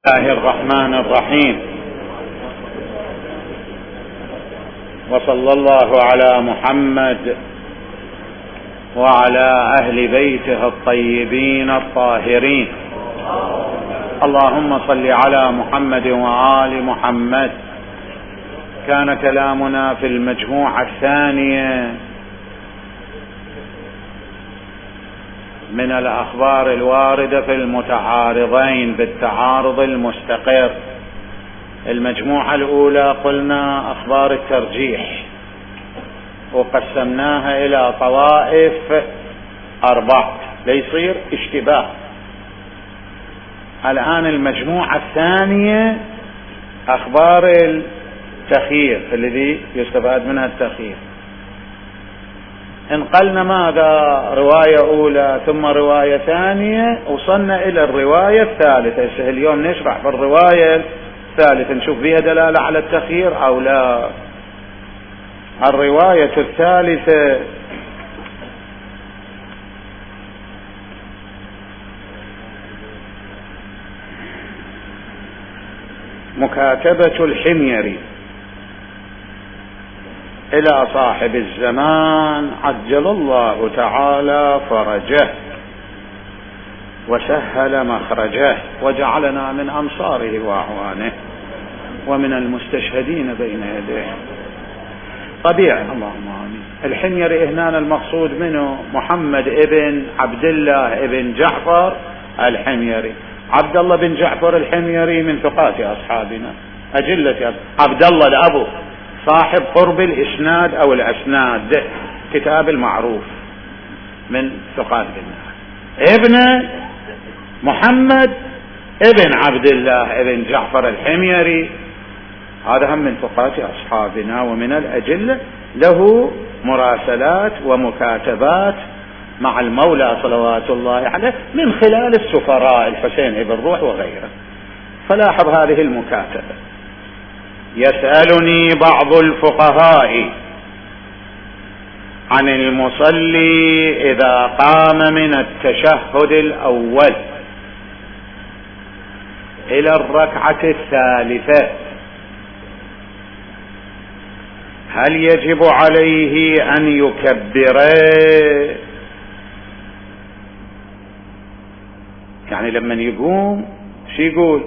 الله الرحمن الرحيم، وصلى الله على محمد وعلى أهل بيته الطيبين الطاهرين. اللهم صل على محمد وآل محمد. كان كلامنا في المجموعة الثانية من الأخبار الواردة في المتعارضين بالتعارض المستقر. المجموعة الأولى قلنا أخبار الترجيح وقسمناها إلى طوائف 4 ليصير اشتباه. الآن المجموعة الثانية أخبار التخيير الذي يستفاد منها التخيير. انقلنا ماذا؟ رواية أولى ثم رواية ثانية، وصلنا إلى الرواية الثالثة. اليوم نشرح في الرواية الثالثة نشوف فيها دلالة على التخيير أو لا. الرواية الثالثة مكاتبة الحميري إلى صاحب الزمان عجل الله تعالى فرجه وسهل مخرجه وجعلنا من أنصاره وأعوانه ومن المستشهدين بين يديه. طبيعي، اللهم آمين. الحميري هنا المقصود منه محمد ابن عبد الله ابن جعفر الحميري. عبد الله بن جعفر الحميري من ثقات أصحابنا أجلة. عبد الله الأبو صاحب قرب الإسناد أو الأسناد، كتاب المعروف، من ثقات بالله. ابن محمد ابن عبد الله ابن جعفر الحميري، هذا هم من ثقات أصحابنا ومن الأجلة، له مراسلات ومكاتبات مع المولى صلوات الله عليه من خلال السفراء الحسين ابن روح وغيره. فلاحظ هذه المكاتبة: يسألني بعض الفقهاء عن المصلي إذا قام من التشهد الأول إلى الركعة الثالثة هل يجب عليه أن يكبر؟ يعني لما يقوم شو يقول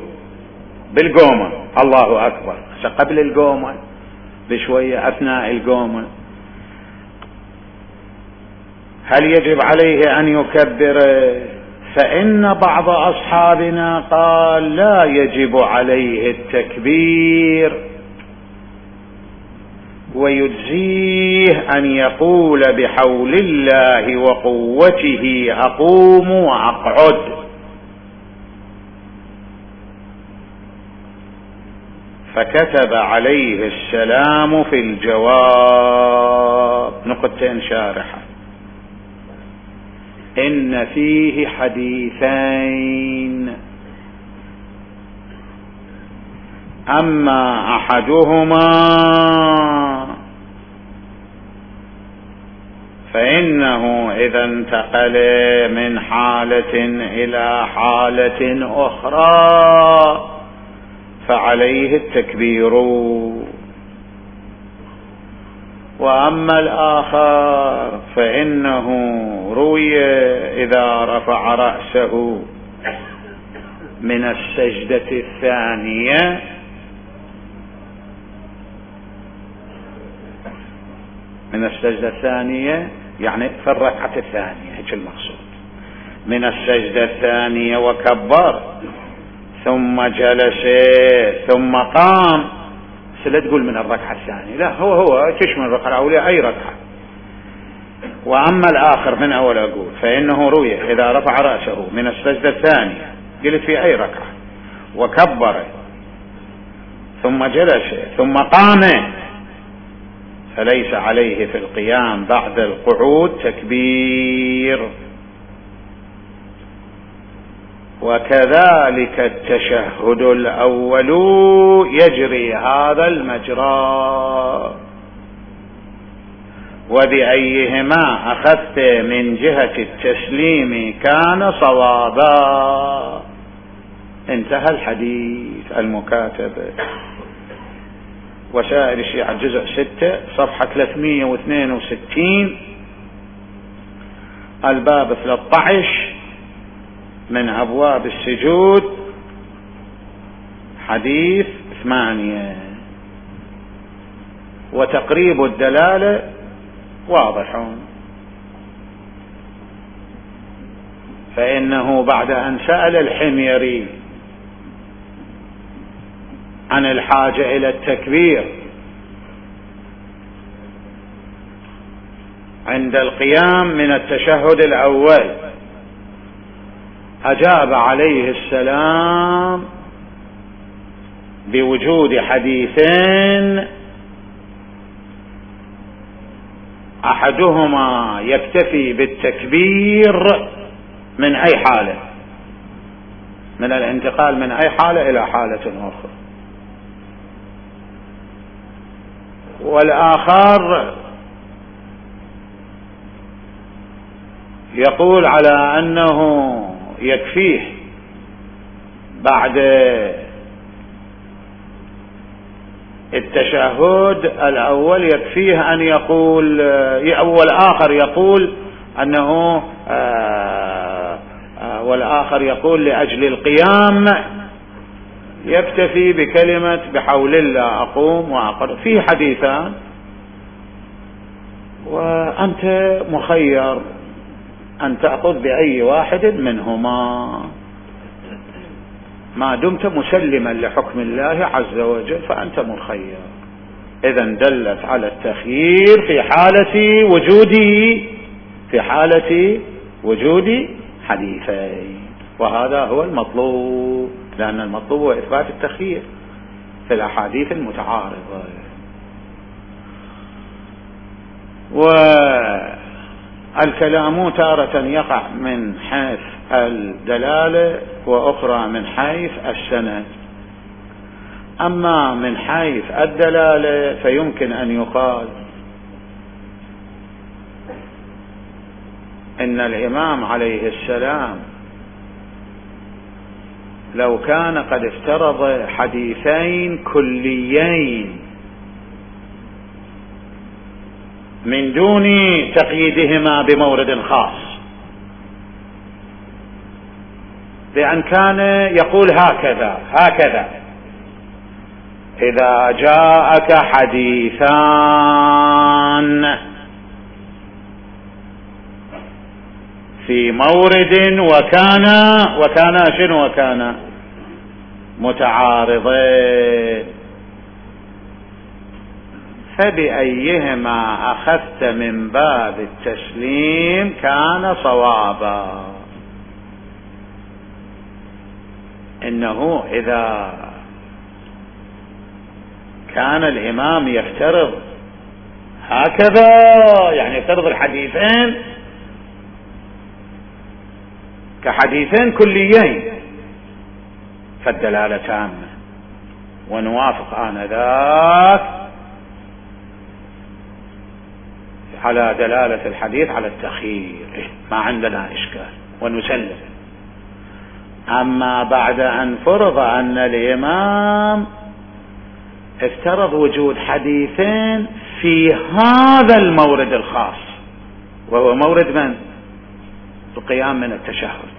بالقومة؟ الله أكبر. قبل القومة بشوية، أثناء القومة، هل يجب عليه أن يكبر؟ فإن بعض أصحابنا قال لا يجب عليه التكبير، ويجزيه أن يقول بحول الله وقوته أقوم وأقعد. فكتب عليه السلام في الجواب نقطتين شارحة: إن فيه حديثين، أما أحدهما فإنه إذا انتقل من حالة إلى حالة أخرى فعليه التكبير، وأما الآخر فإنه روي إذا رفع رأسه من السجدة الثانية يعني في الركعة الثانية، هيك المقصود، من السجدة الثانية وكبر ثم جلس ثم قام. لا تقول من الركعة الثانية، لا، هو تشمل الركعة الأولى أي ركعة. وأما الآخر من أول أقول فإنه روي إذا رفع رأسه من السجدة الثانية، قلت في أي ركعة، وكبر ثم جلس ثم قام، فليس عليه في القيام بعد القعود تكبير. وكذلك التشهد الأول يجري هذا المجرى. وبأيهما أخذت من جهة التسليم كان صوابا. انتهى الحديث المكاتبة. وسائل الشيعة جزء 6 صفحة 362 الباب 13 من أبواب السجود حديث 8. وتقريب الدلالة واضح، فإنه بعد أن سأل الحميري عن الحاجة إلى التكبير عند القيام من التشهد الأول، أجاب عليه السلام بوجود حديثين أحدهما يكتفي بالتكبير من أي حالة، من الانتقال من أي حالة إلى حالة أخرى، والآخر يقول على أنه يكفيه بعد التشهد الأول يكفيه أن يقول، والآخر يقول أنه والآخر يقول لأجل القيام يكتفي بكلمة بحول الله أقوم وأقر. في حديثان وأنت مخير أن تأخذ بأي واحد منهما ما دمت مسلما لحكم الله عز وجل، فأنت مخير. إذن دلت على التخيير في حالة وجود حديثين، وهذا هو المطلوب، لأن المطلوب هو إثبات التخيير في الأحاديث المتعارضة. والكلام تارة يقع من حيث الدلالة وأخرى من حيث السند. أما من حيث الدلالة فيمكن أن يقال إن الإمام عليه السلام لو كان قد افترض حديثين كليين من دون تقييدهما بمورد خاص، بأن كان يقول هكذا إذا جاءك حديثان في مورد وكان متعارضين، فبأيهما أخذت من باب التسليم كان صوابا. إنه إذا كان الإمام يفترض هكذا، يعني يفترض الحديثين كحديثين كليين، فالدلالة تامة، ونوافق آنذاك على دلالة الحديث على التخيير، ما عندنا إشكال ونسلم. أما بعد أن فرض أن الإمام افترض وجود حديثين في هذا المورد الخاص، وهو مورد من؟ القيام من التشهد،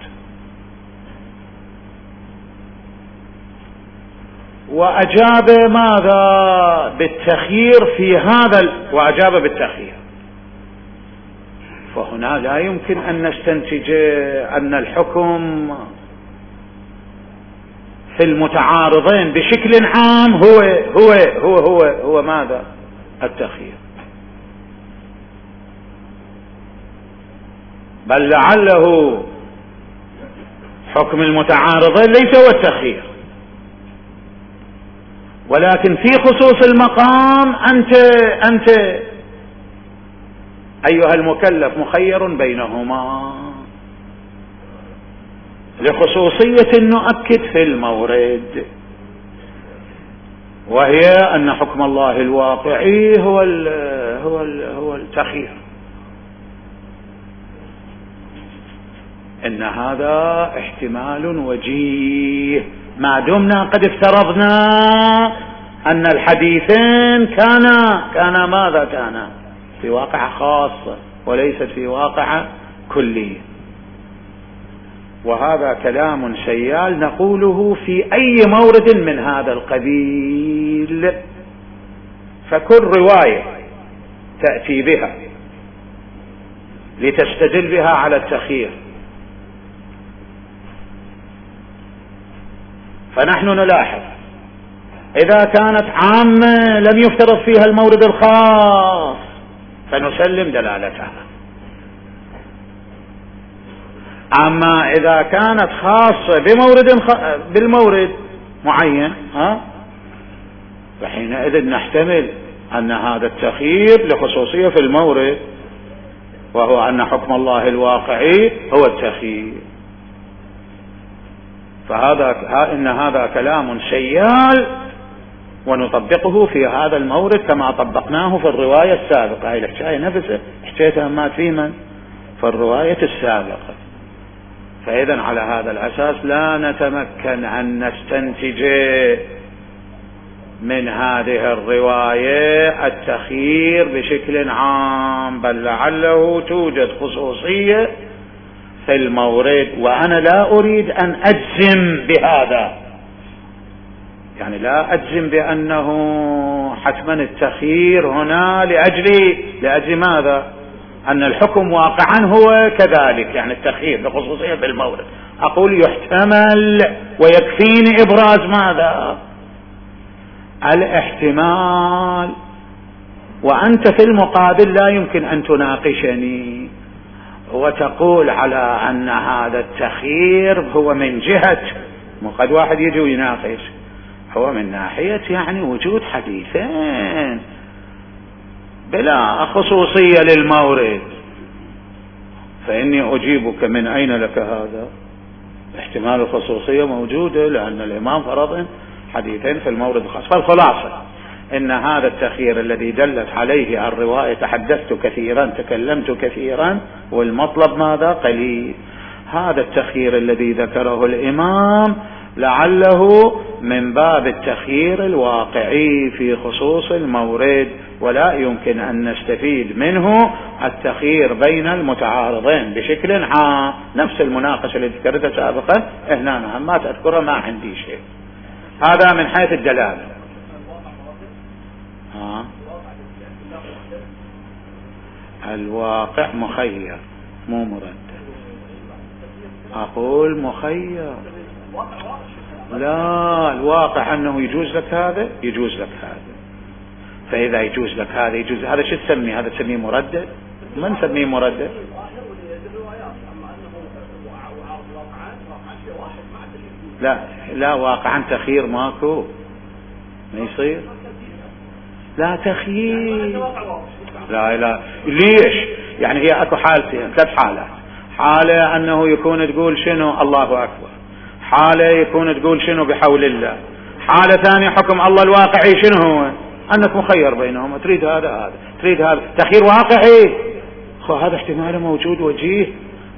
وأجاب ماذا؟ بالتخيير في هذا، وأجاب بالتخيير. فهنا لا يمكن أن نستنتج أن الحكم في المتعارضين بشكل عام هو ماذا؟ التخيير، بل لعله حكم المتعارضين ليس هو التخيير، ولكن في خصوص المقام أنت أيها المكلف مخير بينهما لخصوصية نؤكد في المورد، وهي أن حكم الله الواقعي هو التخيير. إن هذا احتمال وجيه ما دمنا قد افترضنا أن الحديثين كانا ماذا كانا في واقعة خاصة وليست في واقعة كلية. وهذا كلام سيال نقوله في أي مورد من هذا القبيل. فكل رواية تأتي بها لتستدل بها على التخيير، فنحن نلاحظ إذا كانت عامة لم يفترض فيها المورد الخاص فنسلم دلالتها، أما إذا كانت خاصة بالمورد معين فحينئذ نحتمل أن هذا التخيير لخصوصية في المورد، وهو أن حكم الله الواقعي هو التخيير. إن هذا كلام سيال ونطبقه في هذا المورد كما طبقناه في الرواية السابقة. هاي الحكاية نفسها حكيتها ما في من في الرواية السابقة. فإذا على هذا الأساس لا نتمكن أن نستنتج من هذه الرواية التخيير بشكل عام، بل لعله توجد خصوصية في المورد. وأنا لا أريد أن أجزم بهذا، يعني لا أجزم بأنه حتما التخيير هنا لأجل ماذا؟ أن الحكم واقعا هو كذلك، يعني التخيير بخصوصية في المورد. أقول يحتمل ويكفيني إبراز ماذا؟ الاحتمال. وأنت في المقابل لا يمكن أن تناقشني وتقول على أن هذا التخيير هو من جهة، قد واحد يجي ويناقش، هو من ناحية يعني وجود حديثين بلا خصوصية للمورد. فإني أجيبك من أين لك هذا؟ احتمال الخصوصية موجودة لأن الإمام فرض حديثين في المورد الخاص. فالخلاصة إن هذا التخيير الذي دلت عليه الرواية تحدثت كثيرا تكلمت كثيرا والمطلب ماذا؟ قليل. هذا التخيير الذي ذكره الإمام لعله من باب التخيير الواقعي في خصوص المورد، ولا يمكن أن نستفيد منه التخيير بين المتعارضين بشكل عام. نفس المناقشة اللي ذكرتها سابقا هنا ما تذكرها، ما عندي شيء. هذا من حيث الدلالة. الواقع مخير مو مرد. أقول مخير، لا، الواقع أنه يجوز لك هذا يجوز لك هذا. فإذا يجوز لك هذا يجوز هذا، شو تسميه؟ هذا تسميه مردد؟ ما نسميه مردد. لا واقعا تخيير ماكو، ما يصير. لا تخيير، لا ليش؟ يعني هي اكو حالتين، 3 حالات. حالة انه يكون تقول شنو الله اكبر، حالة يكون تقول شنو بحول الله، حالة ثانية حكم الله الواقعي شنو هو؟ انك مخير بينهم، تريد هذا تريد هذا، تخيير واقعي. هذا احتمال موجود وجيه،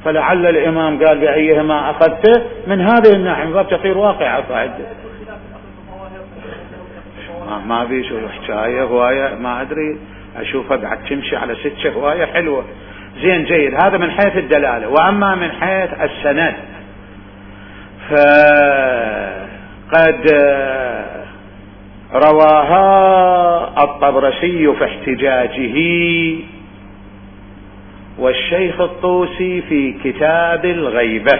فلعل الامام قال بايهما اخذته من هذه الناحية من باب تخيير واقع. قاعد ما في شو حكاية هواية، ما ادري اشوفها قاعد تمشي على 6 هواية حلوة. زين جيد، هذا من حيث الدلالة. واما من حيث السند فقد رواها الطبرسي في احتجاجه والشيخ الطوسي في كتاب الغيبة.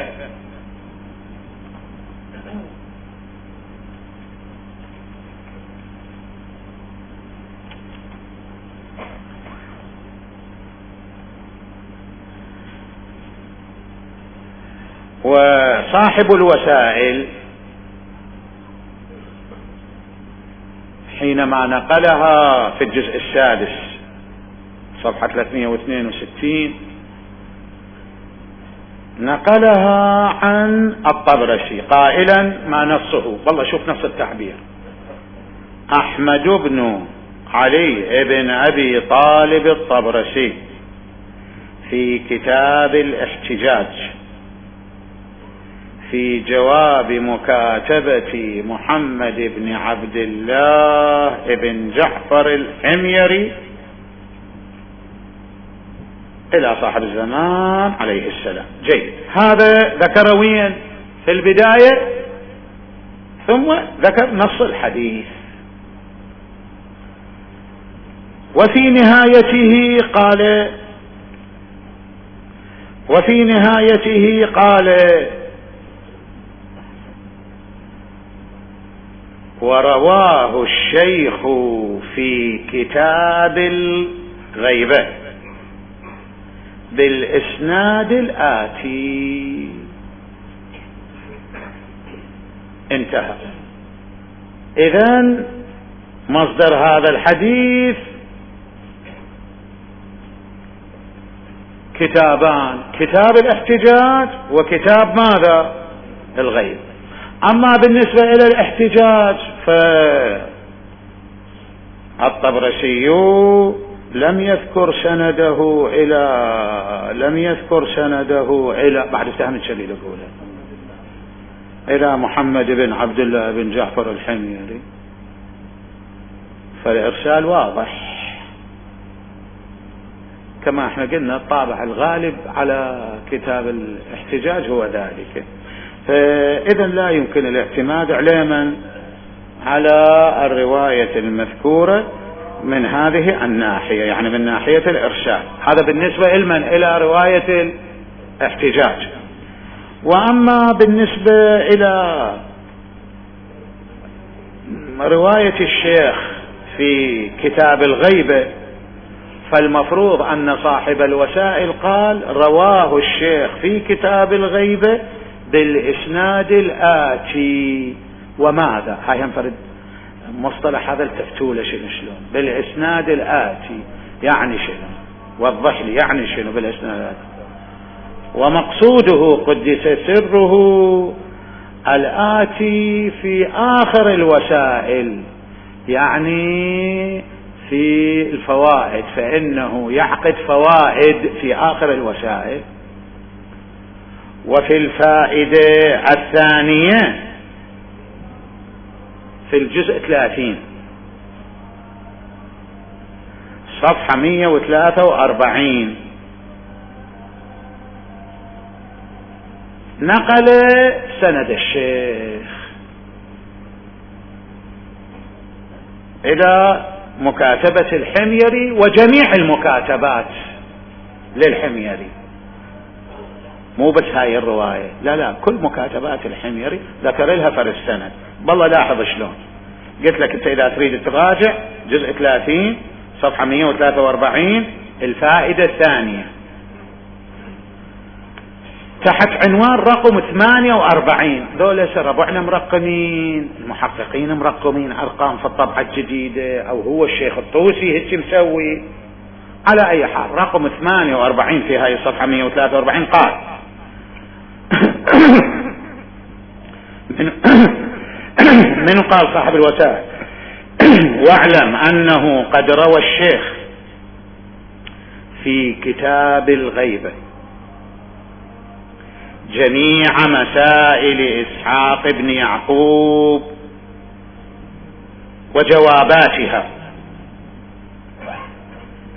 وصاحب الوسائل حينما نقلها في الجزء 6 صفحة 362 نقلها عن الطبرسي قائلا ما نصه، والله شوف نص التعبير: أحمد بن علي بن أبي طالب الطبرسي في كتاب الاحتجاج في جواب مكاتبة محمد بن عبد الله بن جعفر الحميري إلى صاحب الزمان عليه السلام. جيد، هذا ذكر وين في البداية، ثم ذكر نص الحديث. وفي نهايته قال ورواه الشيخ في كتاب الغيبة بالإسناد الآتي. انتهى. إذن مصدر هذا الحديث كتابان، كتاب الاحتجاج وكتاب ماذا؟ الغيب. أما بالنسبة إلى الاحتجاج فالطبرسي لم يذكر سنده إلى بعد استهم الشليل الأولى إلى محمد بن عبد الله بن جعفر الحميري، فالإرسال واضح كما احنا قلنا. الطابع الغالب على كتاب الاحتجاج هو ذلك، فإذا لا يمكن الاعتماد علما على الرواية المذكورة من هذه الناحية، يعني من ناحية الإرسال. هذا بالنسبة إلى رواية الاحتجاج. وأما بالنسبة إلى رواية الشيخ في كتاب الغيبة، فالمفروض أن صاحب الوسائل قال رواه الشيخ في كتاب الغيبة بالإسناد الآتي. وماذا؟ هاي ينفرد مصطلح هذا التفتولة شلون بالإسناد الآتي يعني شنو؟ وضح لي يعني شنو بالإسناد الآتي. ومقصوده قدس سره الآتي في آخر الوسائل، يعني في الفوائد، فإنه يعقد فوائد في آخر الوسائل. وفي الفائدة الثانية في الجزء 30 صفحة 143 نقل سند الشيخ إلى مكاتبة الحميري وجميع المكاتبات للحميري، مو بس هاي الرواية، لا كل مكاتبات الحميري ذكر لها فرق السند. بالله لاحظ شلون قلت لك انت اذا تريد تراجع جزء 30 صفحة 143 الفائدة الثانية تحت عنوان رقم 48. ذولا ربعنا مرقمين، المحققين مرقمين ارقام في الطبعة الجديدة، او هو الشيخ الطوسي هيك مسوي. على اي حال رقم 48 في هاي الصفحة 143 قال من قال صاحب الوسائل واعلم انه قد روى الشيخ في كتاب الغيبة جميع مسائل إسحاق بن يعقوب وجواباتها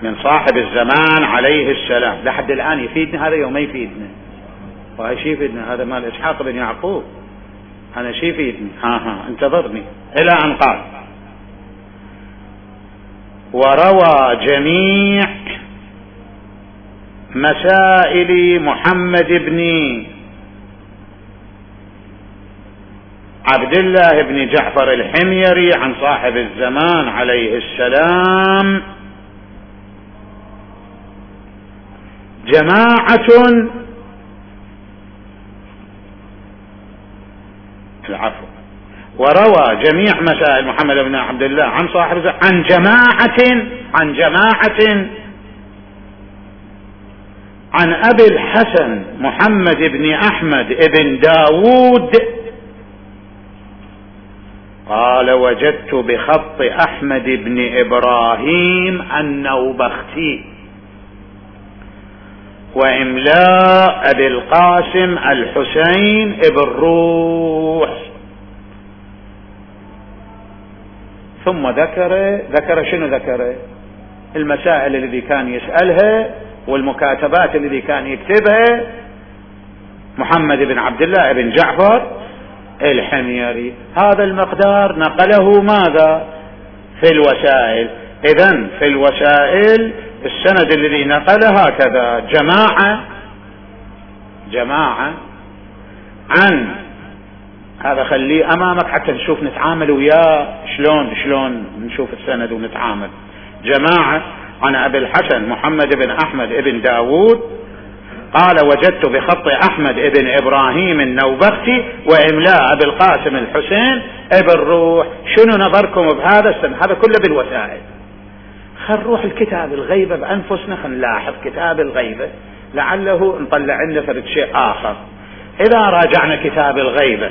من صاحب الزمان عليه السلام. لحد الآن يفيدنا هذا يوم ما يفيدنا، وهي شي يفيدنا هذا مال إسحاق بن يعقوب، أنا شي يفيدني انتظرني. إلى أن قال وروى جميع مسائل محمد بن عبد الله بن جعفر الحميري عن صاحب الزمان عليه السلام جماعة وروى جميع مسائل محمد بن عبد الله عن صاحب الزمان عن جماعة عن أبي الحسن محمد بن أحمد بن داود قال وجدت بخط أحمد بن إبراهيم النوبختي وإملاء أبي القاسم الحسين ابن روح. ثم ذكر شنو ذكر؟ المسائل الذي كان يسألها والمكاتبات الذي كان يكتبها محمد بن عبد الله بن جعفر الحميري. هذا المقدار نقله ماذا؟ في الوسائل. إذن في الوسائل السند الذي نقله هكذا: جماعة عن هذا، خليه أمامك حتى نشوف نتعامل وياه شلون نشوف السند ونتعامل. جماعة عن أبي الحسن محمد بن أحمد بن داود قال: وجدت بخط أحمد بن إبراهيم النوبختي وإملاء أبي القاسم الحسين ابن روح. شنو نظركم بهذا السند؟ هذا كله بالوسائل. خل نروح الكتاب الغيبة بأنفسنا، خل نلاحظ كتاب الغيبة لعله نطلع لنا فرد شيء آخر. إذا راجعنا كتاب الغيبة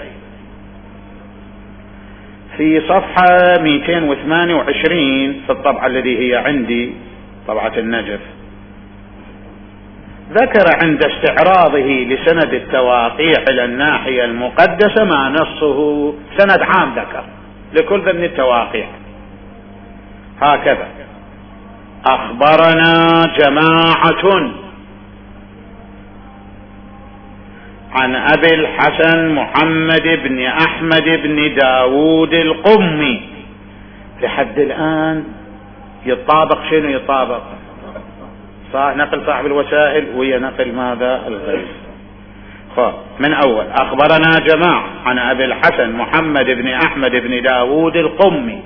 في صفحة 228 في الطبعة التي هي عندي، طبعة النجف، ذكر عند استعراضه لسند التواقيع إلى الناحية المقدسة ما نصه سند عام ذكر لكل ذن التواقيع هكذا: أخبرنا جماعة عن أبي الحسن محمد بن أحمد بن داود القمي. لحد الآن يطابق شنو يطابق؟ نقل صاحب الوسائل وهي نقل ماذا؟ الغيب. من أول: أخبرنا جماعة عن أبي الحسن محمد بن أحمد بن داود القمي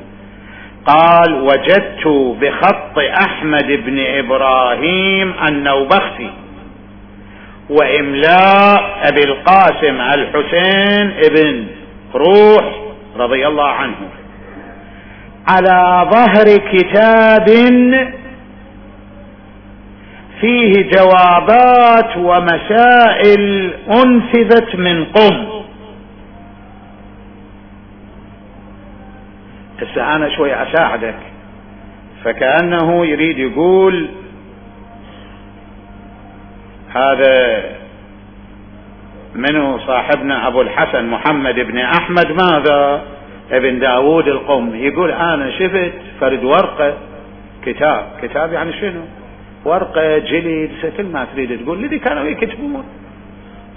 قال: وجدت بخط أحمد بن إبراهيم النوبختي وإملاء أبي القاسم الحسين ابن روح رضي الله عنه على ظهر كتاب فيه جوابات ومسائل أنفذت من قم. هسه أنا شوي أساعدك. فكأنه يريد يقول هذا منه صاحبنا أبو الحسن محمد بن أحمد ماذا؟ ابن داود القم. يقول أنا شفت فرد ورقة كتاب يعني شنو؟ ورقة جلد كل ما تريد تقول الذي كانوا يكتبون.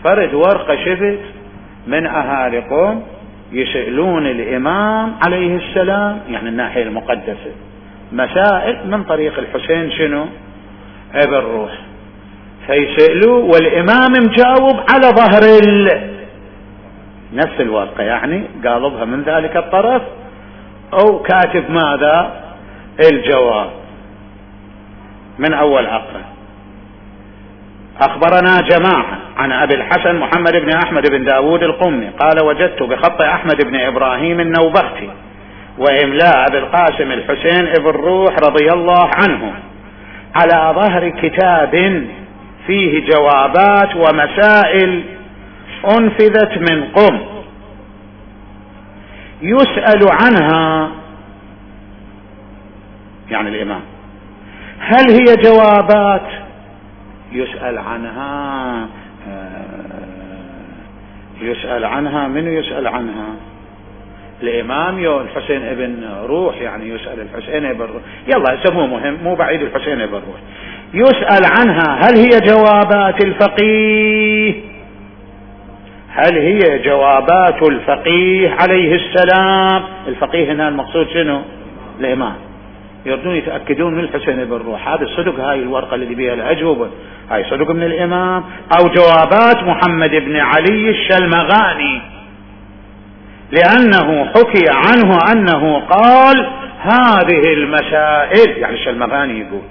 فرد ورقة شفت من أهالي قوم يسألون الإمام عليه السلام، يعني الناحية المقدسة، مسائل من طريق الحسين شنو؟ ابن روح. فيسألوا والإمام مجاوب على ظهر نفس الورقة، يعني قالبها من ذلك الطرف أو كاتب ماذا؟ الجواب. من أول أقرأ: أخبرنا جماعة عن أبي الحسن محمد بن أحمد بن داود القمي قال: وجدت بخط أحمد بن إبراهيم النوبختي وإملاء أبي القاسم الحسين ابن روح رضي الله عنه على ظهر كتاب فيه جوابات ومسائل أنفذت من قم يسأل عنها، يعني الإمام، هل هي جوابات يسأل عنها من يسأل عنها؟ الإمام الحسين ابن روح، يعني يسأل الحسين ابن روح. يلا سموه مهم، مو بعيد الحسين ابن روح. يسأل عنها هل هي جوابات الفقيه؟ هل هي جوابات الفقيه عليه السلام؟ الفقيه هنا المقصود شنو؟ الإمام. يردون يتأكدون من الحسين بن روح هذا صدق هاي الورقة اللي بيها الأجوبة هاي صدق من الإمام أو جوابات محمد بن علي الشلمغاني، لأنه حكي عنه أنه قال هذه المسائل، يعني الشلمغاني يقول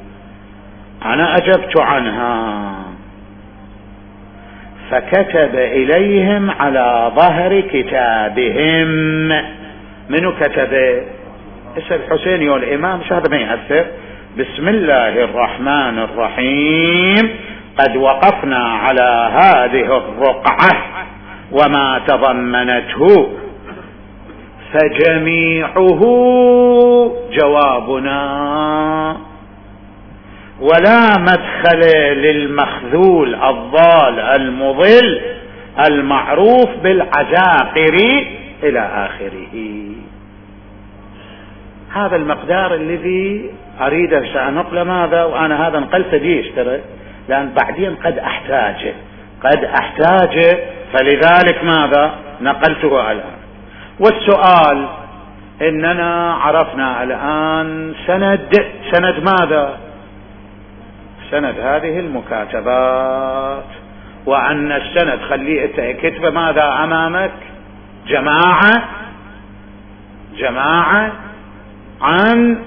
أنا أجبت عنها، فكتب إليهم على ظهر كتابهم. منو كتب؟ اسم الحسين والإمام، مش هذا ما يأثر. بسم الله الرحمن الرحيم، قد وقفنا على هذه الرقعة وما تضمنته، فجميعه جوابنا ولا مدخل للمخذول الضال المضل المعروف بالعجاقر إلى آخره. هذا المقدار الذي أريد سأنقل ماذا، وأنا هذا نقلت ليش ترى، لأن بعدين قد أحتاج فلذلك ماذا نقلته الآن. والسؤال إننا عرفنا الآن سند ماذا، سند هذه المكاتبات، وأن السند خليه كتب ماذا أمامك، جماعة عن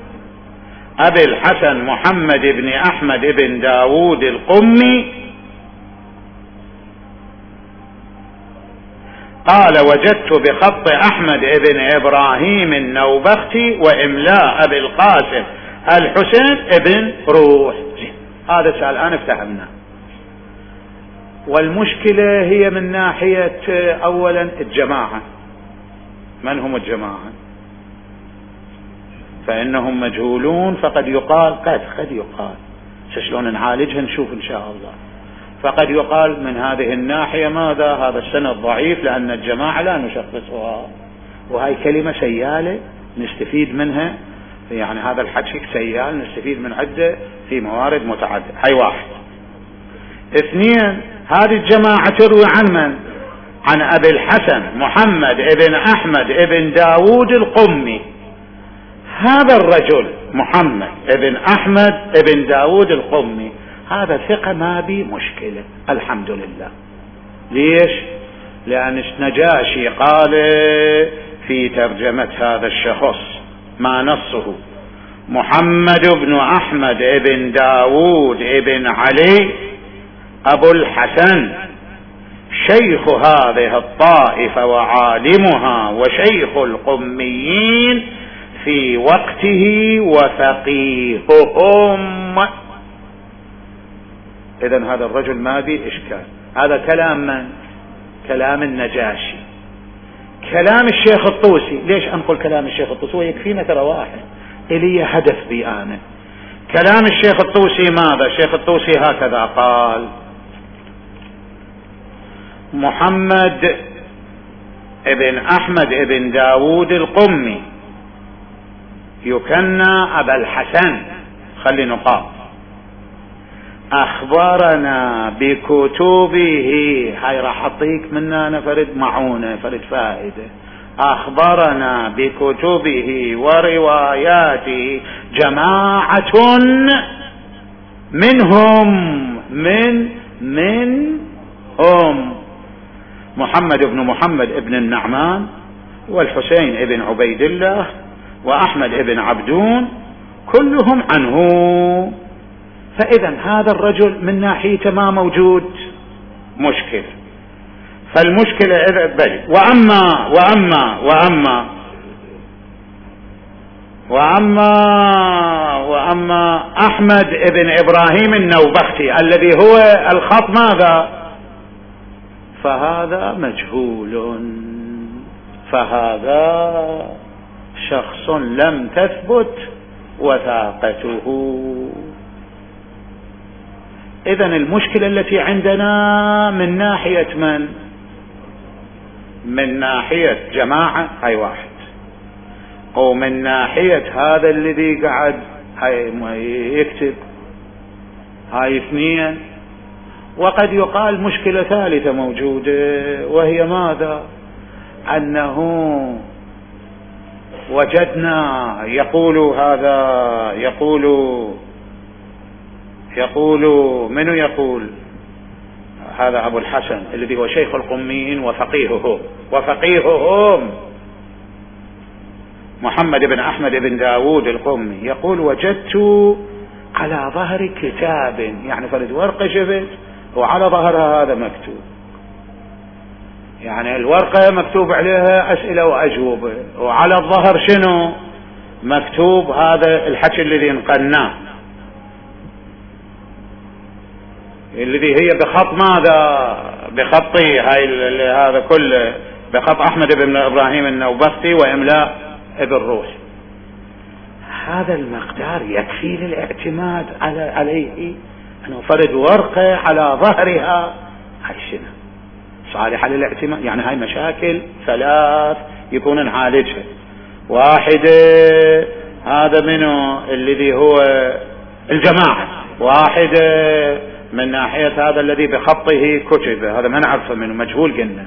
أبي الحسن محمد بن أحمد بن داود القمي قال: وجدت بخط أحمد بن إبراهيم النوبختي وإملاء أبي القاسم الحسين بن روح. هذا السؤال الآن افتهمنا. والمشكلة هي من ناحية أولا الجماعة. من هم الجماعة؟ فإنهم مجهولون، فقد يقال قد يقال شلون نعالجها نشوف إن شاء الله. فقد يقال من هذه الناحية ماذا، هذا السند ضعيف لأن الجماعة لا نشخصها، وهي كلمة سيالة نستفيد منها، يعني هذا الحكي سيال نستفيد من عدة في موارد متعددة. هاي واحد. اثنين، هذه الجماعة تروي عن من؟ عن أبي الحسن محمد بن أحمد بن داود القمي. هذا الرجل محمد بن أحمد بن داود القمي هذا ثقة ما بي مشكلة الحمد لله. ليش؟ لأن نجاشي قال في ترجمة هذا الشخص ما نصه: محمد بن أحمد بن داود بن علي أبو الحسن شيخ هذه الطائفة وعالمها وشيخ القميين في وقته وفقيههم. إذن هذا الرجل ما به إشكال. هذا كلام من؟ كلام النجاشي. كلام الشيخ الطوسي، ليش أنقل كلام الشيخ الطوسي؟ ويكفينا ترى واحد إلي هدف بي أنا. كلام الشيخ الطوسي ماذا؟ الشيخ الطوسي هكذا قال: محمد ابن أحمد ابن داود القمي يكنى أبا الحسن، خلي نقاط، أخبرنا بكتبه. هاي راح أعطيك منها أنا فرد معونة، فرد فائدة. أخبرنا بكتبه ورواياته جماعة منهم محمد بن محمد بن النعمان والحسين بن عبيد الله وأحمد بن عبدون كلهم عنه. فإذا هذا الرجل من ناحيته ما موجود مشكلة. فالمشكلة إذا بل وأما أحمد بن إبراهيم النوبختي الذي هو الخط ماذا، فهذا مجهول، فهذا شخص لم تثبت وثاقته. إذن المشكلة التي عندنا من ناحية من ناحية جماعة، هاي واحد، ومن ناحية هذا الذي قاعد يكتب، هاي اثنين. وقد يقال مشكلة ثالثة موجودة، وهي ماذا؟ أنه وجدنا يقول من يقول هذا أبو الحسن الذي هو شيخ القميين وفقيههم محمد بن أحمد بن داود القمي، يقول: وجدت على ظهر كتاب، يعني فرد ورقة شفت وعلى ظهرها هذا مكتوب، يعني الورقة مكتوب عليها أسئلة وأجوبة، وعلى الظهر شنو مكتوب؟ هذا الحكي الذي نقلناه، الذي هي بخط ماذا؟ بخطي هاي هذا كله بخط أحمد بن إبراهيم النوبختي وإملاء ابن روح. هذا المقدار يكفي للاعتماد عليه، أنه فرد ورقة على ظهرها هاي شنو صالحة للاعتماد؟ يعني هاي مشاكل ثلاث يكون نعالجها. واحدة هذا منه الذي هو الجماعة، واحدة من ناحية هذا الذي بخطه كتب، هذا ما نعرفه منه مجهول قلنا،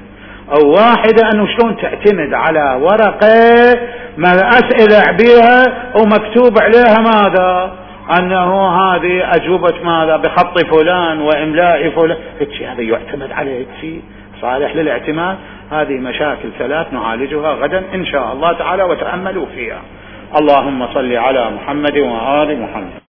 أو واحدة أنه شلون تعتمد على ورقة ما أسئلة بها ومكتوب عليها ماذا، أنه هذه أجوبة ماذا بخط فلان وإملاء فلان، هذا يعتمد عليه شيء صالح للاعتماد. هذه مشاكل ثلاث نعالجها غدا إن شاء الله تعالى، وتأملوا فيها. اللهم صل على محمد وآل محمد.